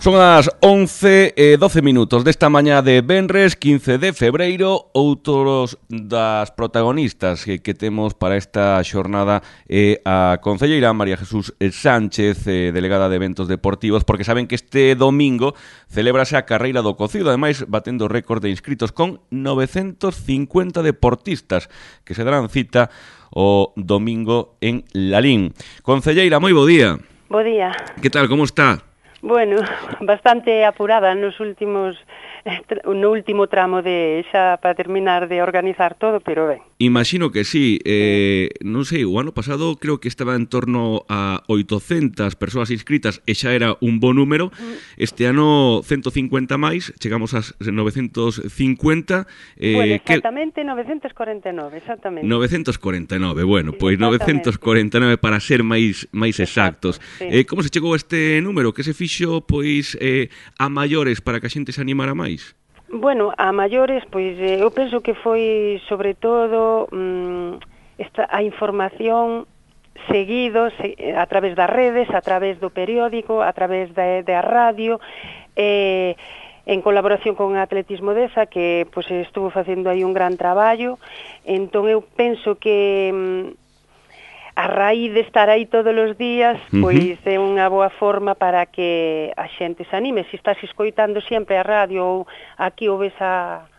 Son as 11:12 desta mañá de venres 15 de febreiro. Outros das protagonistas que temos para esta xornada é a concelleira María Jesús Sánchez, delegada de eventos deportivos, porque saben que este domingo celébrase a carreira do cocido, ademais batendo récord de inscritos con 950 deportistas que se darán cita o domingo en Lalín. Concelleira, moi bo día. Bo día. Que tal, como está? Bueno, bastante apurada no último tramo de xa para terminar de organizar todo, pero ben. Imagino que sí. Non sei, o ano pasado creo que estaba en torno a 800 persoas inscritas e xa era un bo número. Este ano 150 máis, chegamos ás 950. Bueno, exactamente 949, exactamente. 949, bueno, pois 949 para ser máis exactos. Sí. Como se chegou a este número? Que se fixo pois a maiores para que a xente se animara máis? Bueno, a maiores, pois eu penso que foi sobre todo a información seguido a través das redes, a través do periódico, a través da radio, en colaboración con Atletismo Deza, que pois estuvo facendo aí un gran traballo. Entón eu penso que a raíz de estar aí todos os días, pois é unha boa forma para que a xente se anime. Se estás escoitando sempre a radio ou aquí ou ves a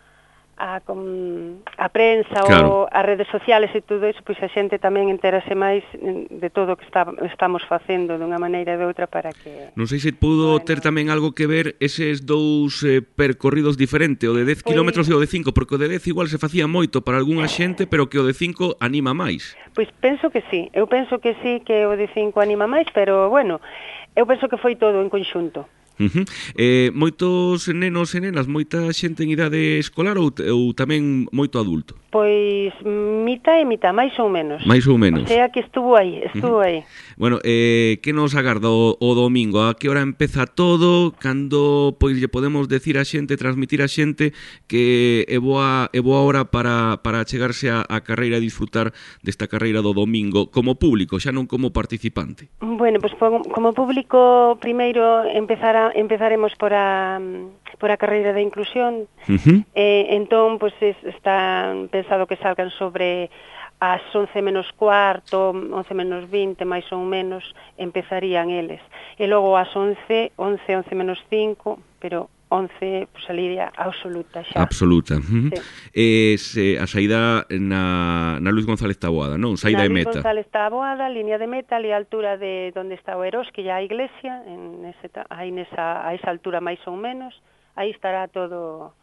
prensa, claro, ou as redes sociales e todo eso, pois a xente tamén entérase máis de todo o que estamos facendo de unha maneira ou de outra para que... Non sei se pudo ter tamén algo que ver eses dous percorridos diferentes, o de 10 kilómetros e o de 5, porque o de 10 igual se facía moito para algunha xente, pero que o de 5 anima máis. Pois penso que sí, eu penso que sí, que o de 5 anima máis, pero bueno, eu penso que foi todo en conxunto. Moitos nenos e nenas, moita xente en idade escolar ou tamén moito adulto? Pois mitad e mitad, máis ou menos. Mais ou menos. O sea que estuvo aí. Bueno, que nos agarda o domingo? A que hora empeza todo? Cando pois lle podemos decir a xente, transmitir a xente que é boa hora para chegarse a carreira e disfrutar desta carreira do domingo como público, xa non como participante? Bueno, pois como público primeiro empezaremos por a carreira de inclusión. Entón, pois está pensado que salgan sobre as 11 menos cuarto, 11 menos 20, máis ou menos, empezarían eles. E logo as 11 menos 5, pero 11, pues, saliría absoluta xa. Absoluta. Sí. A saída na Luis González Taboada, non? Saída de meta. Na Luis González Taboada, línea de meta, ali a altura de onde está o Eroski, a iglesia, a esa altura máis ou menos, aí estará todo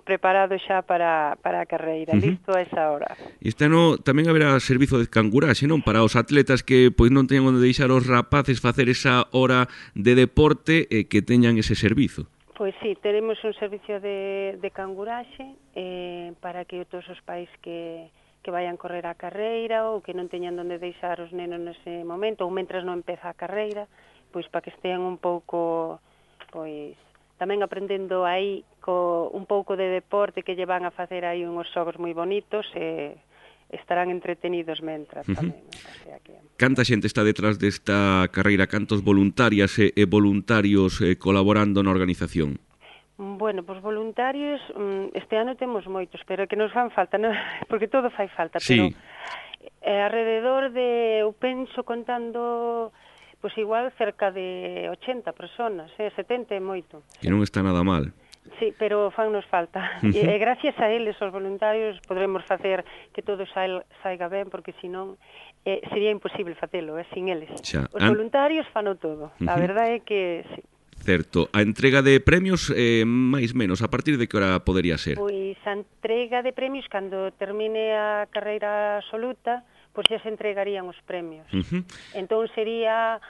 preparado xa para a carreira, listo a esa hora. Este ano tamén haberá servizo de canguraxe, non? Para os atletas que pois non teñan onde deixar os rapaces facer esa hora de deporte que teñan ese servizo. Pois sí, teremos un servicio de canguraxe para que todos os pais que vayan correr a carreira ou que non teñan onde deixar os nenos nese momento ou mentras non empeza a carreira, pois para que estean un pouco pois tamén aprendendo aí un pouco de deporte, que lle van a facer aí uns xogos moi bonitos e estarán entretenidos mentras tamén. O sea que... Canta xente está detrás desta carreira? Cantos voluntarias e voluntarios colaborando na organización? Bueno, pois voluntarios este ano temos moitos, pero que nos fan falta, non? Porque todo fai falta, pero alrededor de, eu penso, contando, pois igual cerca de 80 personas, 70 é moito. Que non está nada mal. Sí, pero fannos falta. E gracias a eles, os voluntarios, podremos facer que todo saiga ben, porque senón sería imposible facelo, sin eles. Os voluntarios fano todo. A verdade é que sí. Certo. A entrega de premios, máis menos, a partir de que hora podería ser? Pois a entrega de premios, cando termine a carreira absoluta, pois xa se entregarían os premios. Entón sería,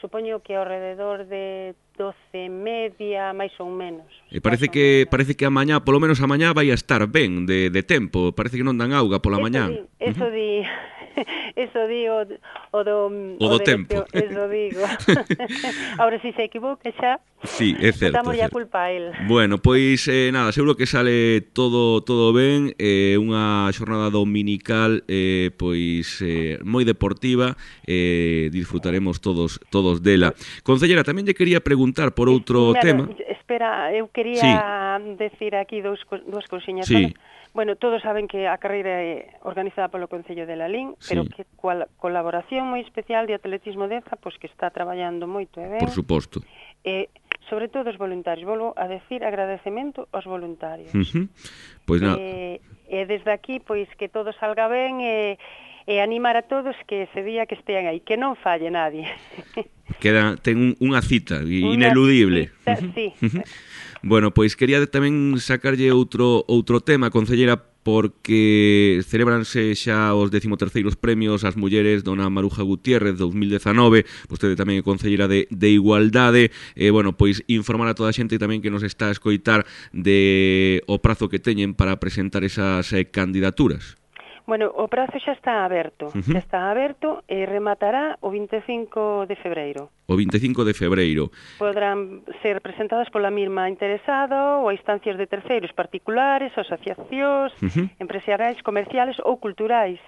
supoño que ao rededor de 12:30, máis ou menos. E parece que a mañá, polo menos a mañá, vai a estar ben de tempo. Parece que non dan auga pola mañá. Eso di Eso digo o do tempo. Eso digo. Ahora si se equivoca xa, sí, é certo. Damos a culpa a él. Bueno, pois nada, seguro que sale todo ben, unha xornada dominical pois moi deportiva, disfrutaremos todos dela. Concellera, tamén lle quería preguntar por outro tema. Espera, eu quería decir aquí dúas cousiñas. Sí. Bueno, todos saben que a carreira é organizada polo Concello de Lalín, pero que coa colaboración moi especial de Atletismo Deza, pois que está traballando moito e ben. Por suposto. Sobre todo os voluntarios. Volvo a decir agradecemento aos voluntarios. Pois nada. E desde aquí, pois que todo salga ben e animar a todos que ese día que estean aí, que non falle nadie. Ten unha cita ineludible. Sí. Bueno, pois quería tamén sacarlle outro tema, concellera, porque celebranse xa os 13º premios ás mulleres Dona Maruja Gutiérrez 2019, vostede tamén é concellera de Igualdade, bueno, pois informar a toda a xente tamén que nos está a escoitar de o prazo que teñen para presentar esas candidaturas. Bueno, o prazo xa está aberto, e rematará o 25 de febreiro. O 25 de febreiro. Podrán ser presentadas pola mesma interesada ou a instancias de terceiros particulares, asociacións, empresariais, comerciales ou culturais.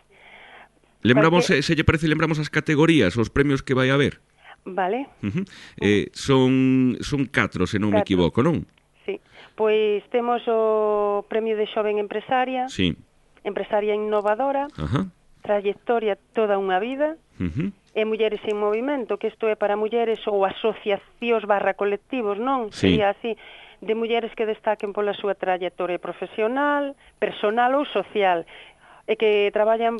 Lembramos, se lle parece, lembramos as categorías, os premios que vai haber. Vale. Son 4, se non me equivoco, non? Sí. Pois temos o premio de xoven empresaria. Sí. Empresaria innovadora, trayectoria toda unha vida, e mulleres en movimento, que isto é para mulleres ou asociacións / colectivos, non? Sí. Sería así, de mulleres que destaquen pola súa trayectoria profesional, personal ou social, e que traballan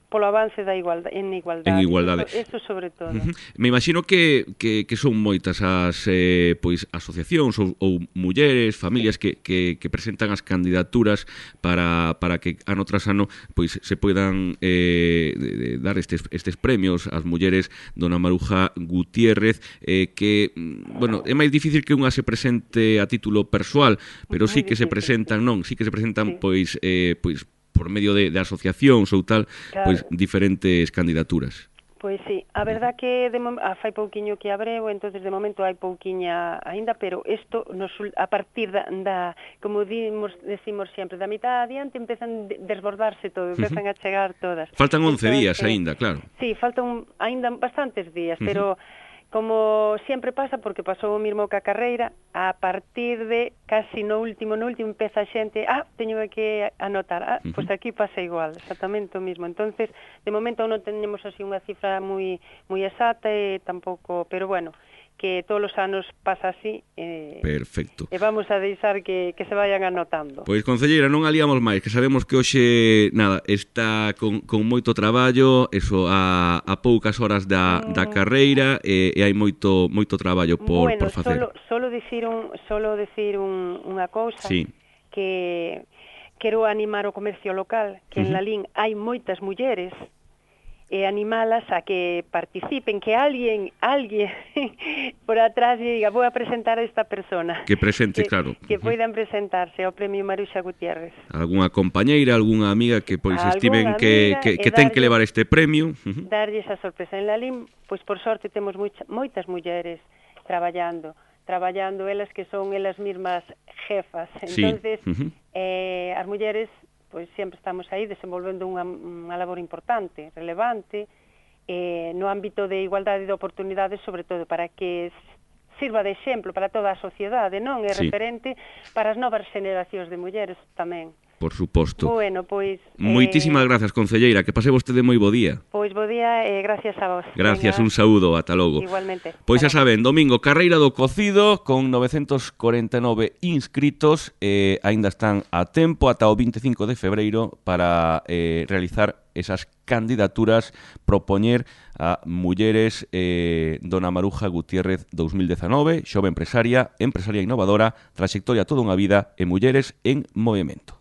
polo avance da igualdade, en igualdade. Eso sobre todo. Me imagino que son moitas as pois asociacións ou mulleres, familias que presentan as candidaturas para que ano tras ano pois se poidan dar estes premios ás mulleres Dona Maruja Gutiérrez, que, bueno, é máis difícil que unha se presente a título persoal, pero sí que se presentan, pois por medio de asociacións ou tal, pois diferentes candidaturas. Pois sí, a verdad que fai pouquiño que abreu, entonces de momento hai pouquiña aínda, pero isto a partir da como decimos sempre, da mitad adiante empezan a desbordarse todo, empezan a chegar todas. Faltan 11 días aínda, claro. Sí, faltan aínda bastantes días, pero como sempre pasa, porque pasou o mesmo ca carreira, a partir de casi no último empeza a xente, teño que anotar, pois aquí pasa igual, exactamente o mesmo. Entonces, de momento non tenemos así unha cifra moi exacta e tampouco, pero bueno, que todos os anos pasa así. Perfecto. E vamos a deixar que se vayan anotando. Pois, concelleira, non aliamos máis, que sabemos que hoxe, nada, está con moito traballo, eso, a poucas horas da carreira, e hai moito traballo por facer. Solo dicir unha cousa, sí, que quero animar o comercio local, que en Lalín hai moitas mulleres, e animalas a que participen, que alguén por atrás diga, vou a presentar a esta persona. Que presente, claro. Que poidan presentarse ao Premio Maruxa Gutiérrez. Algúnha compañeira, algunha amiga que pois estiven que ten que levar este premio. Darlle esa sorpresa. En Lalín, pois por sorte temos moitas mulleres traballando elas que son elas mesmas jefas. Entonces, as mulleres pois sempre estamos aí desenvolvendo unha labor importante, relevante, no ámbito de igualdade de oportunidades, sobre todo para que sirva de exemplo para toda a sociedade, non? É referente para as novas generacións de mulleres tamén. Por suposto. Bueno, pois... Moitísimas grazas, concelleira, que pase vostede moi bo día. Pois bo día e gracias a vos. Gracias, un saúdo, ata logo. Igualmente. Pois xa saben, domingo, carreira do cocido con 949 inscritos, aínda están a tempo ata o 25 de febreiro para realizar esas candidaturas, propoñer a mulleres Dona Maruja Gutiérrez 2019, xove empresaria innovadora, trayectoria toda unha vida e mulleres en movimento.